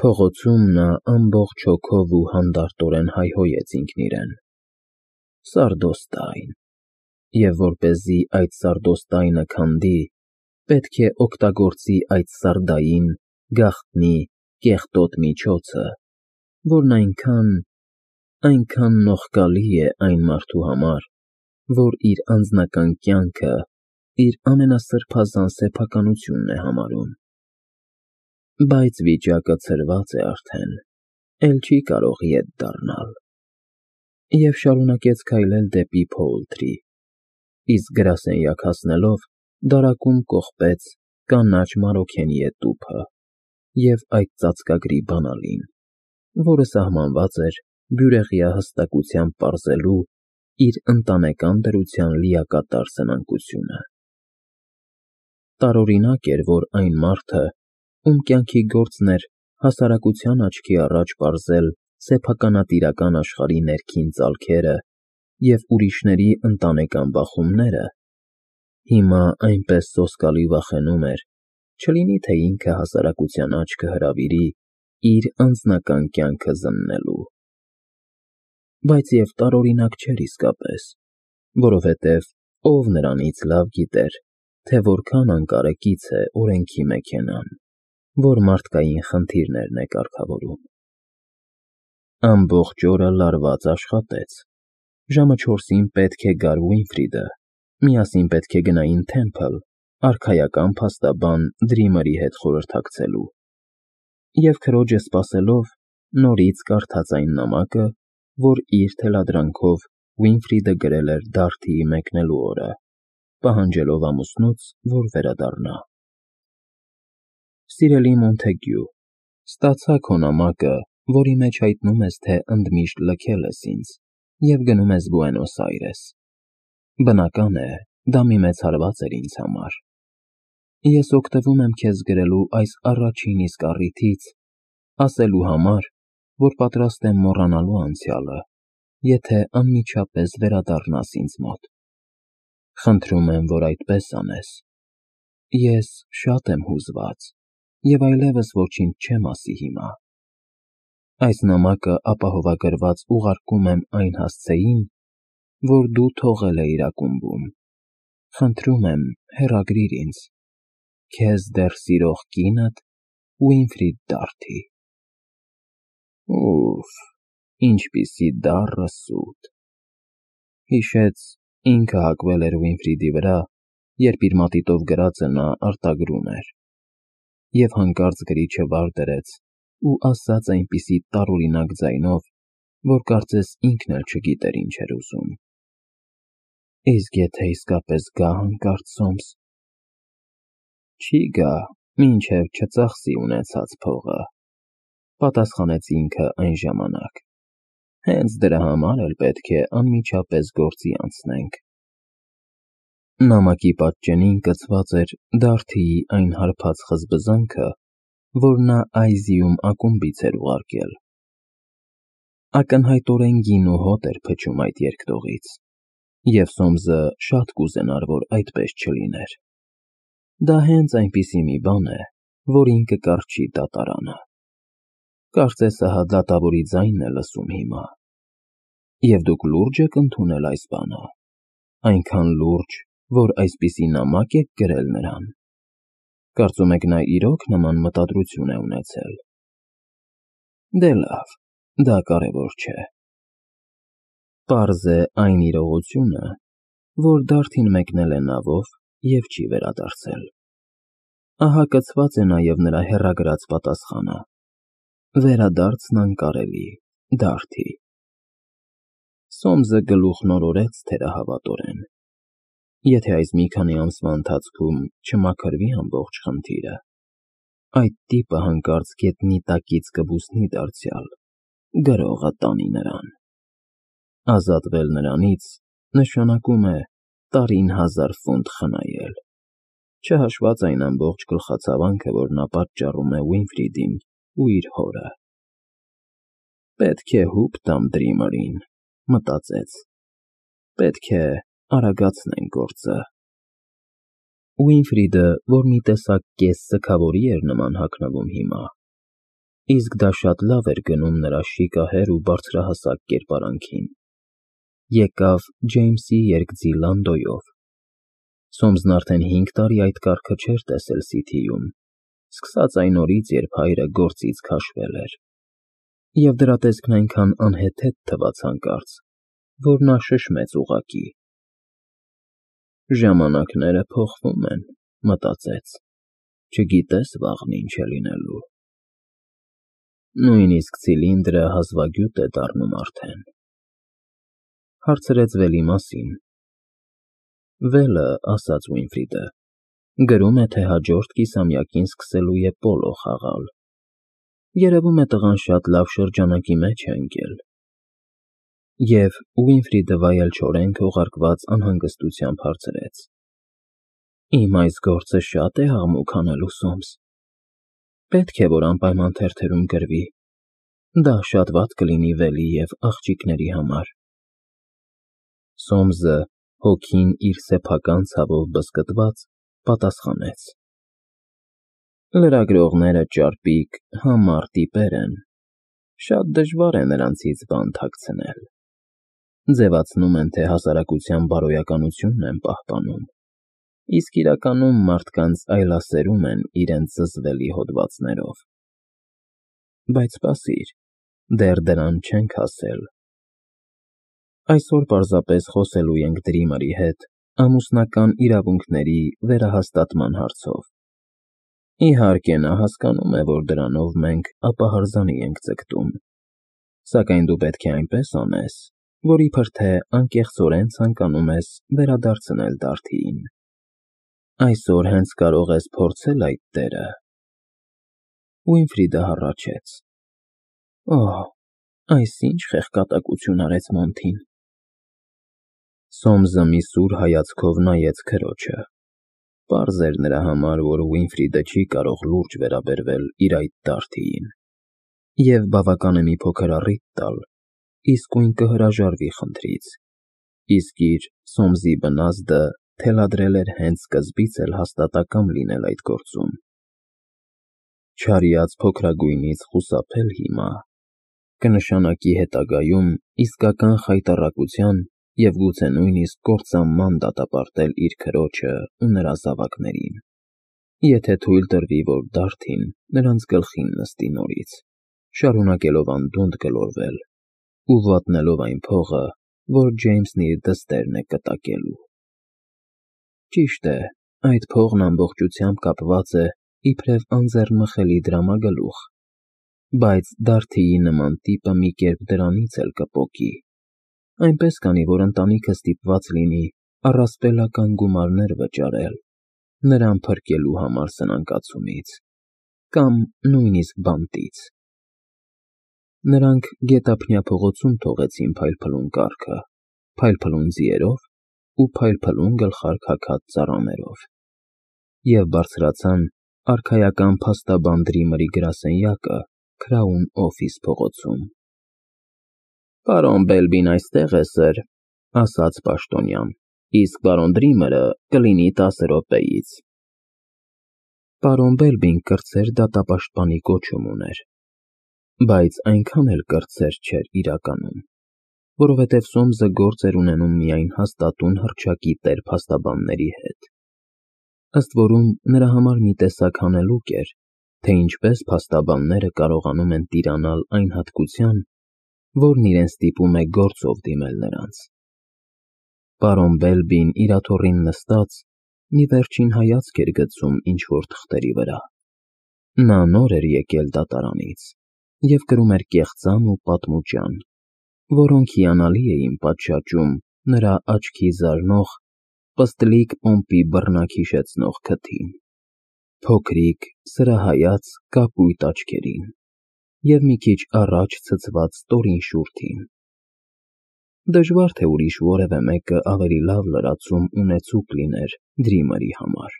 Փողոցում նա ամբողջ հոգով ու հանդարտորեն հայհոյեց ինքն իրեն. Սարդոստայն, և որպեսզի այդ սարդոստայնը քանդի, պետք է օգտագործի այդ սարդային, գաղտնի, կեղտոտ միջոցը, որն այնքան նողկալի է այն մարդու համար, որ իր անձնական կյանքը իր ամենասրբազան սեփականությունն է համարում։ Բայց վիճակը ցրված է արդեն, էլ չի կարող ետ դառնալ։ Եվ շարունակեց քայլել դեպի Փոուլթրի, իսկ գրասենյակ հասնելով դարակում կողպեց կանաչ Մարոքենիե տուփը և այդ ծածկագրի բանալին, որը սահմանված էր բյուրեղյա հստակությամբ պարզելու իր ընտանեկան դրության լիակատար սնանկությունը։ Տարօրինակ էր, որ այն մարդը, ում կյանքի գործն էր հասարակության աչքի առաջ պարզել սեփականատիրական աշխարհի ներքին ծալքերը և ուրիշների ընտանեկան բախումները, հիմա այնպես սոսկալի վախենում էր, չլինի թե ինքը հասարակության աչքը հրավիրի իր անձնական կյանքը զննելու։ Բայց և տարօրինակ չէր իսկապես, որովհետև ով նրանից լավ գիտեր, թե որքան անկարեկից է օրենքի մեքենան, որ մարդկային խնդիրներն է կարգավորում։ Ամբողջ օրը լարված աշխատեց։ Ժամը 4-ին պետք է գար Ուինֆրիդը, միասին պետք է գնային Թեմփլ, արքայական փաստաբան Դրիմերի հետ խորհրդակցելու։ Եվ քրոջը սպասելով, նորից կարդաց այն նամակը, որ իր թելադրանքով Ուինֆրիդը գրել էր Դարթիի մեկնելու օրը, պահանջելով ամուսնուց, որ վերադառնա։ Սիրելի Մոնթեգյու, ստացա քո նամակը, որի մեջ հայտնում ես, թե ընդմիշտ լքել ես ինձ և գնում ես Բուենոս Այրես։ Բնական է, դա մի մեծ հարված էր ինձ համար։ Ես օգտվում եմ քեզ գրելու այս առաջին իսկ առիթից, ասելու համար, որ պատրաստ եմ մոռանալու անցյալը, եթե անմիջապես վերադառնաս ինձ մոտ։ Խնդրում եմ, որ այդպես անես։ Ես շատ եմ հուզված և այլևս ոչինչ չեմ ասի հիմա։ Այս նամակը ապահովագրված ուղարկում եմ այն հասցեին, որ դու թողել էիր ակումբում։ Խնդրում եմ, հեռագրիր ինձ։ Քեզ դեռ սիրող կինդ Ուինֆրիդ Դարթի։ Ուֆ, ինչպիսի դառը սուտ։ Հիշեց, ինքը հակվել էր Ուինֆրիդի վրա, երբ իր մատիտով գրածը նա արտագրում էր, և հանկարծ գրիչը վար դրեց ու ասաց այնպիսի տարօրինակ ձայնով, որ կարծես ինքն էլ չգիտեր ինչ էր ուզում։ Իսկ եթե իսկապես գա հանկարծ Սոմս։ Չի գա, մինչև չծախսի ունեցած փողը, պատասխանեց ինքը այն ժամանակ։ Հենց դրա համար էլ պետք է անմիջապես գործի անցնենք։ Նամակի պատճենին կցված էր Դարթիի այն հարբած խզբզանքը, որ նա Այզիում ակումբից էր ուղարկել։ Ակնհայտորեն գին ու հոտ էր փչում այդ երկտողից, և Սոմսը շատ կուզենար, որ այդպես չլիներ։ Դա հենց այնպիսի մի բան է, որին կկառչի դատարանը։ Կարծես ահա դատավորի ձայնն է լսում հիմա։ Եվ դուք լուրջ եք ընդունել այս բանը, այնքան լուրջ, որ այսպիսի նամակ եք գրել նրան։ Կարծում եք նա իրոք նման մտադրություն է ունեցել։ Դե լավ, դա կարևոր չէ։ Պարզ է այն իրողությունը, որ Դարթին մեկնել է նավով և չի վերադարձել։ Ահա կցված է նաև նրա հեռագրած պատասխանը. վերադարձն անկարելի, Դարթի։ Սոմսը գլուխն օրորեց թերահավատորեն։ Եթե այս մի քանի ամսվա ընթացքում չմաքրվի ամբողջ խնդիրը, այդ տիպը հանկարծ գետնի տակից կբուսնի դարձյալ, գրողը տանի նրան։ Ազատվել նրանից նշանակում է տարին 1000 ֆունտ խնայել, չհաշված այն ամբողջ գլխացավանքը, որ նա պատճառում է Ուինֆրիդին ու իր հորը։ Պետք է հուպ տամ Դրիմերին, մտածեց։ Պետք է արագացնենք գործը։ Ուինֆրիդը, որ մի տեսակ կես սգավորի էր նման հագնվում հիմա, իսկ դա շատ լավ էր գնում նրա շիկահեր ու բարձրահասակ կերպարանքին։ Եկավ Ջեյմսի երկձի Լանդոյով։ Սոմսն արդեն 5 տարի այդ կառքը չէր տեսել Սիթիում, սկսած այն օրից, երբ հայրը գործից քաշվել էր, և դրա տեսքն այնքան անհեթեթ թվաց հանկարծ, որ նա շշմեց ուղղակի։ «Ժամանակները փոխվում են», մտածեց, չգիտես վաղն ինչ է լինելու։ Նույնիսկ ցիլինդրը հազվագյուտ է դառնում արդեն։ Հարցրեց Վելի մասին։ Վելը, ասաց Ուինֆրիդը, գրում է, թե հաջորդ կիսամյակին սկսելու է պոլո խաղալ։ Երևում է տղան շատ լավ շրջանակի մեջ է ընկել։ Եվ Ուինֆրիդը վայելչորեն քողարկված անհանգստությամբ հարցրեց. Իմ այս գործը շատ է աղմուկ անելու, Սոմս։ Պետք է, որ անպայման թերթերում գրվի։ Դա շատ վատ կլինի Վելի և աղջիկների համար։ Սոմսը, հոգին իր սեփական ցավով բզկտված, պատասխանեց. Լրագրողները ճարպիկ, համառ տիպեր են։ Շատ դժվար է նրանցից բան թաքցնել։ Ձևացնում են, թե հասարակության բարոյականությունն են պահպանում, իսկ իրականում մարդկանց այլասերում են իրենց զզվելի հոդվածներով։ Բայց սպասիր, դեռ դրան չենք հասել։ Այսօր պարզապես խոսելու ենք Դրիմերի հետ ամուսնական իրավունքների վերահաստատման հարցով։ Իհարկե, նա հասկանում է, որ դրանով մենք ապահարզանի ենք ձգտում, սակայն դու պետք է այնպես անես, որ իբր թե անկեղծորեն ցանկանում ես վերադարձնել Դարդիին։ Այսօր հենց կարող ես փորձել այդ դերը։ Ուինֆրիդը հառաչեց. Օհ, այս ինչ խեղկատակություն արեց Մոնթին։ Սոմսը մի սուր հայացքով նայեց քրոջը։ Պարզ էր նրա համար, որ Ուինֆրիդը չի կարող լուրջ վերաբերվել իր այդ Դարդիին, և բավական է մի փոքր առիթ տալ, իսկույն կհրաժարվի խնդրից, իսկ իր Սոմսի բնազդը թելադրել էր հենց սկզբից էլ հաստատակամ լինել այդ գործում։ Չարյաց փոքրագույնից խուսափել հիմա կնշանակի հետագայում իսկական խայտառակության և գուցե նույնիսկ կործանման դատապարտել իր քրոջը ու նրա զավակներին, եթե թույլ տրվի, որ Դարդին նրանց գլխին նստի նորից, շարունակելով անդունդը գլորվել ու վատնելով այն փողը, որ Ջեյմսն իր դստերն է կտակելու։ Ճիշտ է, այդ փողն ամբողջությամբ կապված է իբրև անձեռնմխելի դրամագլուխ, բայց Դարդիի նման տիպը մի կերպ դրանից էլ կպոկի, այնպես կանի, որ ընտանիքը ստիպված լինի առասպելական գումարներ վճարել նրան փրկելու համար սնանկացումից կամ նույնիսկ բանտից։ Նրանք Գետափնյա փողոցում թողեցին փայլփլուն կառքը, փայլփլուն ձիերով ու փայլփլուն գլխարկ հագած ծառաներով և բարձրացան արքայական փաստաբան Դրիմերի գրասենյակը Քրաուն Օֆիս փողոցում։ Պարոն Բելբին այստեղ է, սըր, ասաց պաշտոնյան, իսկ պարոն Դրիմերը կլինի 10 րոպեից։ Պարոն Բելբին կրտսեր դատապաշտպանի կոչում ուներ, բայց այնքան էլ կրտսեր չէր իրականում, որովհետև Սոմսը գործ էր ունենում միայն հաստատուն հռչակի տեր փաստաբանների հետ։ Ըստ որում նրա համար մի տեսակ հանելուկ էր, թե ինչպես փաստաբանները կարողանում են տիրանալ այն հատկության, որն իրեն ստիպում է գործով դիմել նրանց։ Պարոն Բելբին իր աթոռին նստած մի վերջին հայացք էր գցում ինչ-որ թղթերի վրա։ Նա նոր էր եկել դատարանից և կրում էր կեղծամ ու պատմուճան, որոնք հիանալի էին պատշաճում նրա աչքի զարնող, պստլիկ պոմպի բռնակ հիշեցնող քթին, փոքրիկ, սրահայաց կապույտ աչքերին և մի քիչ առաջ ցցված ստորին շուրթին։ Դժվար թե ուրիշ որևէ մեկը ավելի լավ լրացում ունեցուկ լիներ Դրիմերի համար։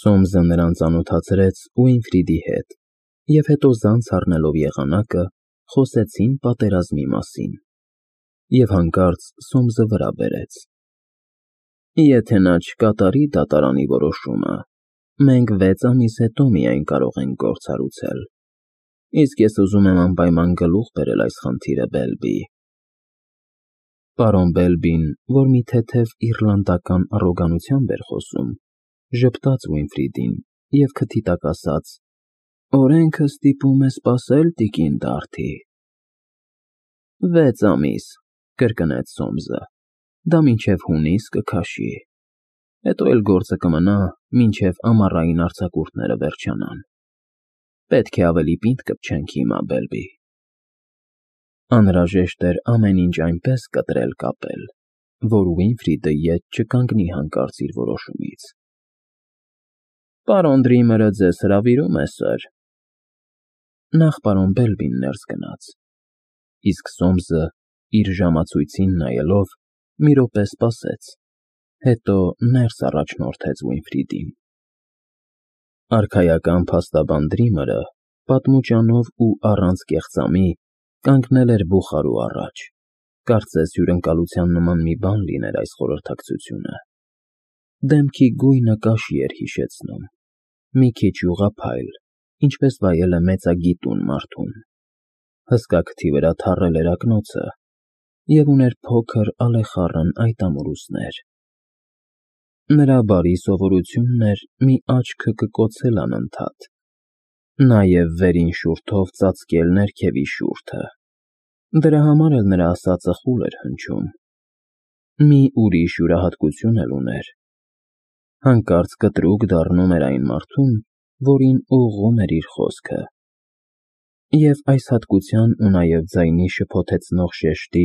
Սոմսը նրան ծանոթացրեց Ուինֆրիդի հետ, և հետո զանց առնելով եղանակը, խոսեցին պատերազմի մասին, և հանկարծ Սոմսը վրա բերեց. Եթե նա չկատարի դատարանի որոշումը, մենք 6 ամիս հետո միայն կարող ենք գործառույցել, իսկ ես ուզում եմ անպայման գլուխ բերել այս խնդիրը, Բելբի։ Պարոն Բելբին, որ մի թեթև իռլանդական առոգանությամբ էր խոսում, ժպտաց Ուինֆրիդին և քթի տակ ասաց. «Օրենքը ստիպում է սպասել, տիկին Դարթի»։ 6 ամիս, կրկնեց Սոմսը, դա մինչև հունիս կքաշի, հետո էլ գործը կմնա, մինչև ամառային արձակուրդները վերջանան։ Պետք է ավելի պինդ կպչենք հիմա, Բելբի։ Անհրաժեշտ էր ամեն ինչ այնպես կտրել կապել, որ Ուինֆրիդը ետ չկանգնի հանկարծ իր որոշումից։ Պարոն Դրիմերը ձեզ հրավիրում է, սըր։ Նախ պարոն Բելբին ներս գնաց, իսկ Սոմսը, իր ժամացույցին նայելով, մի րոպե սպասեց, հետո ներս առաջնորդեց Ուինֆրիդին։ Արքայական փաստաբան Դրիմերը պատմուճանով ու առանց կեղծամի կանգնել էր բուխարու առաջ, կարծես հյուրընկալության նման մի բան լիներ այս խորհրդակցությունը։ Դեմքի գույնը կաշի էր հիշեցնում, մի քիչ ուղղափայլ, ինչպես վայել է մեծագիտուն մարդուն։ Հսկա քթի վրա թառել էր ակնոցը և ուներ փոքր ալեխառն այտամուրուսներ։ Նրա բարի սովորությունն էր մի աչքը կկոցել անընդհատ, նաև վերին շուրթով ծածկել ներքևի շուրթը։ Դրա համար էլ նրա ասածը խուլ էր հնչում։ Մի ուրիշ յուրահատկություն էլ ուներ. հանկարծ կտրուկ դառնում էր այն մարդուն, որին ուղղում էր իր խոսքը։ Եվ այս հատկության ու նաև ձայնի շփոթեցնող շեշտի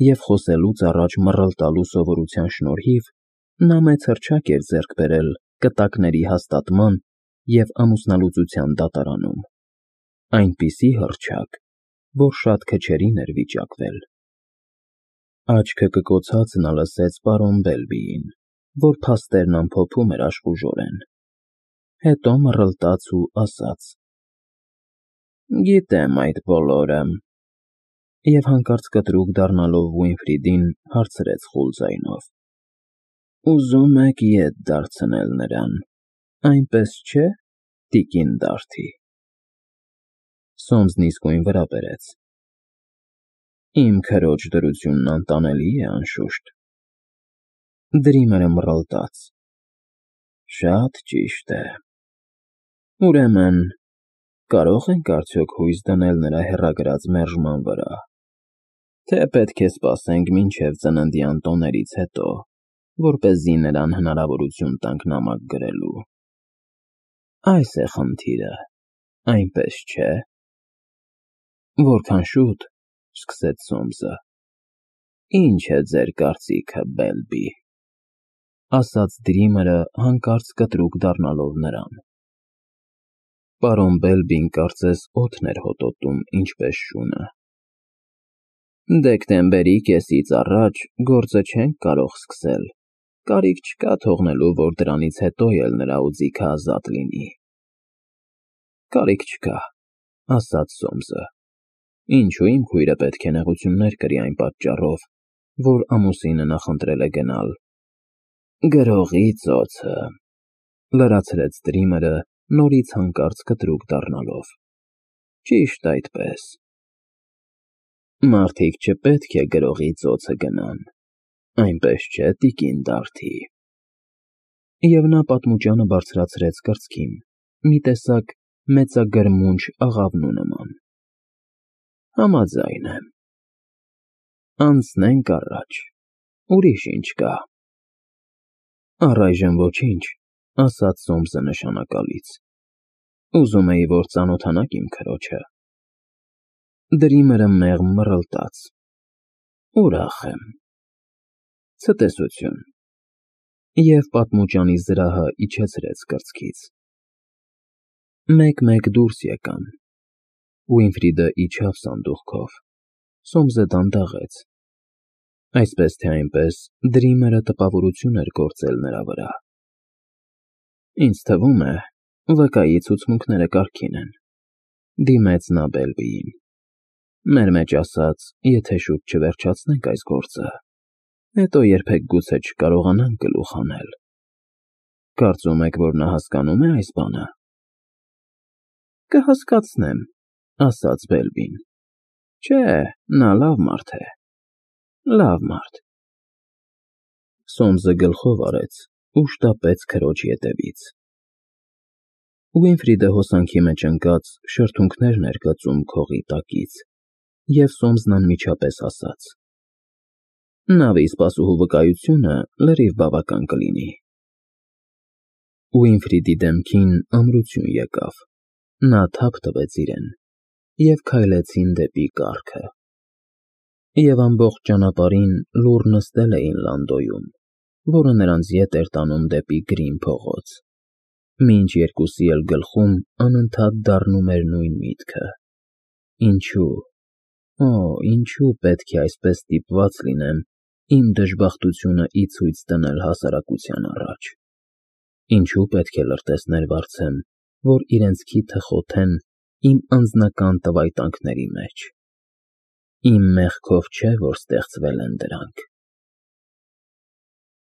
և խոսելուց առաջ մռլտալու սովորության շնորհիվ նա մեծ հռչակ էր ձեռք բերել կտակների հաստատման և ամուսնալուծության դատարանում, այնպիսի հռչակ, որ շատ քչերին էր վիճակվել։ Աչքը կկոցած նա լսեց պարոն Բելբիին, որ փաստերն ամփոփում էր աշխուժորեն, հետո մռլտաց ու ասաց. «Գիտեմ այդ բոլորը», և հանկարծ կտրուկ դառնալով Ուինֆրիդին հարցրեց խուլ ձայնով. «Ուզում եք ետ դարձնել նրան, այնպես չէ՞, տիկին Դարթի»։ Սոմսն իսկույն վրա բերեց. «Իմ քրոջ դրությունն անտանելի է, անշուշտ»։ Դրիմերը մռլտաց. «Շատ ճիշտ է։ Ուրեմն, կարո՞ղ ենք արդյոք հույս դնել նրա հեռագրած մերժման վրա, թե պետք է սպասենք մինչև ծննդյան տոներից հետո, որպեսզի նրան հնարավորություն տանք նամակ գրելու։ Այս է խնդիրը, այնպես չէ՞»։ «Որքան շուտ», սկսեց Սոմսը։ «Ինչ է ձեր կարծիքը, Բելբի», ասաց Դրիմերը հանկարծ կտրուկ դառնալով նրան։ Պարոն Բելբին կարծես օդն էր հոտոտում, ինչպես շունը։ «Դեկտեմբերի կեսից առաջ գործը չենք կարող սկսել, կարիք չկա թողնելու, որ դրանից հետո էլ նրա օձիքը ազատ լինի»։ «Կարիք չկա», ասաց Սոմսը։ «Ինչու իմ քույրը պետք է նեղություններ կրի այն պատճառով, որ ամուսինը նախընտրել է գնալ»։ «Գրողի ծոցը», լրացրեց Դրիմերը, նորից հանկարծ կտրուկ դառնալով։ «Ճիշտ այդպես։ Մարդիկ չպետք է գրողի ծոցը գնան, այնպես չէ, տիկին Դարթի»։ Եվ նա պատմուճանը բարձրացրեց կրծքին, մի տեսակ մեծագրմունջ աղավնու նման։ «Համաձայն եմ։ Անցնենք առաջ, ուրիշ ինչ կա»։ «Առայժմ ոչինչ», ասաց Սոմսը նշանակալից։ «Ուզում էի, որ ծանոթանաք իմ քրոջը»։ Դրիմերը մեղմ մռլտաց. «Ուրախ եմ։ Ցտեսություն»։ Եվ պատմուճանի զրահը իջեցրեց կրծքից։ Մեկ-մեկ դուրս եկան։ Ուինֆրիդը իջավ սանդուղքով, Սոմսը դանդաղեց։ Այսպես թե այնպես Դրիմերը տպավորություն էր գործել նրա վրա։ «Ինձ թվում է, վկայի ցուցմունքները կարգին են», դիմեց նա Բելբիին։ «Մեր մեջ ասած, եթե շուտ չվերջացնենք այս գործը, հետո երբեք գուցե չկարողանանք գլուխ հանել»։ Կարծում եք, որ նա հասկանում է այս բանը։ Կհասկացնեմ, ասաց Բելբին։ Չէ, նա լավ մարդ է։ Լավ մարդ։ Սոմսը գլխով արեց ու շտապեց քրոջ ետևից։ Ուինֆրիդը հոսանքի մեջ ընկած շրթունքներն էր գծում քողի տակից, և Սոմսն անմիջապես ասաց. Նավի սպասուհու վկայությունը լրիվ բավական կլինի։ Ուինֆրիդի դեմքին ամրություն եկավ, նա թափ տվեց իրեն, և քայլեցին դեպի կառքը։ Եվ ամբողջ ճանապարհին լուռ նստել էին Լանդոյում, որը նրանց ետ էր տանում դեպի Գրին փողոց, մինչ երկուսի էլ գլխում անընդհատ դառնում էր նույն միտքը. Ինչո՞ւ, օ, ինչո՞ւ պետք է այսպես ստիպված լինեմ իմ դժբախտությունը ի ցույց դնել հասարակության առաջ, ինչո՞ւ պետք է լրտեսներ վարձեմ, որ իրենց քիթը խոթեն իմ անձնական տվայտանքների մեջ։ Իմ մեղքով չէ, որ ստեղծվել են դրանք։